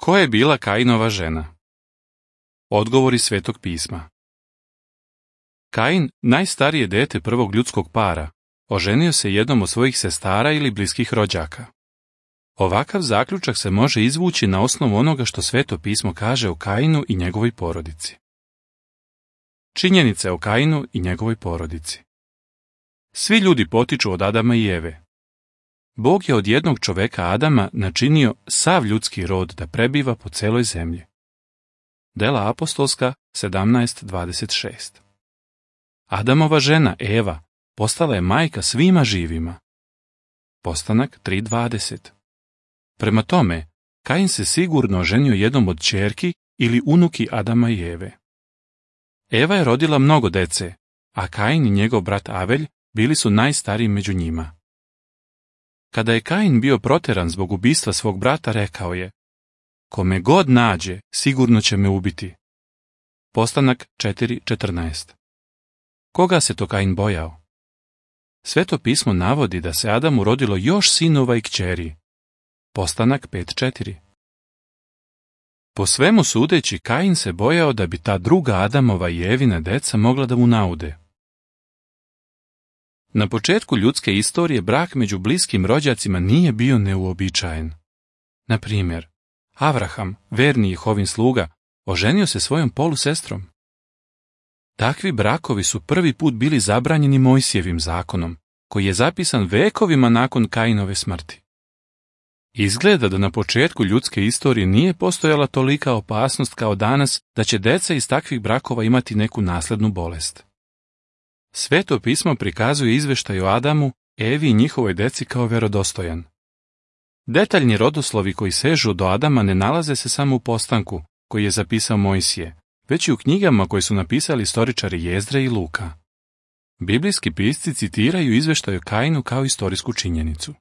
Ko je bila Kainova žena? Odgovori Svetog pisma. Kain, najstarije dete prvog ljudskog para, oženio se jednom od svojih sestara ili bliskih rođaka. Ovakav zaključak se može izvući na osnovu onoga što Sveto pismo kaže o Kainu i njegovoj porodici. Činjenice o Kainu i njegovoj porodici. Svi ljudi potiču od Adama i Eve. Bog je od jednog čoveka Adama načinio sav ljudski rod da prebiva po celoj zemlji. Dela apostolska 17:26. Adamova žena Eva postala je majka svima živima. Postanak 3:20. Prema tome, Kain se sigurno oženio jednom od ćerki ili unuki Adama i Eve. Eva je rodila mnogo dece, a Kain i njegov brat Avelj bili su najstariji među njima. Kada je Kain bio proteran zbog ubistva svog brata, rekao je: "Kome god nađe, sigurno će me ubiti." Postanak 4:14. Koga se to Kain bojao? Sveto pismo navodi da se Adamu rodilo još sinova i kćeri. Postanak 5:4. Po svemu sudeći, Kain se bojao da bi ta druga Adamova i Evina deca mogla da mu naude. Na početku ljudske istorije brak među bliskim rođacima nije bio neuobičajen. Na primjer, Avraham, verni Jehovin sluga, oženio se svojom polusestrom. Takvi brakovi su prvi put bili zabranjeni Mojsijevim zakonom, koji je zapisan vekovima nakon Kainove smrti. Izgleda da na početku ljudske istorije nije postojala tolika opasnost kao danas da će deca iz takvih brakova imati neku naslednu bolest. Sveto pismo prikazuje izveštaj o Adamu, Evi i njihovoj deci kao vjerodostojan. Detaljni rodoslovi koji sežu do Adama ne nalaze se samo u postanku koji je zapisao Mojsije, već i u knjigama koje su napisali istoričari Jezdre i Luka. Biblijski pisci citiraju izveštaj o Kainu kao istorijsku činjenicu.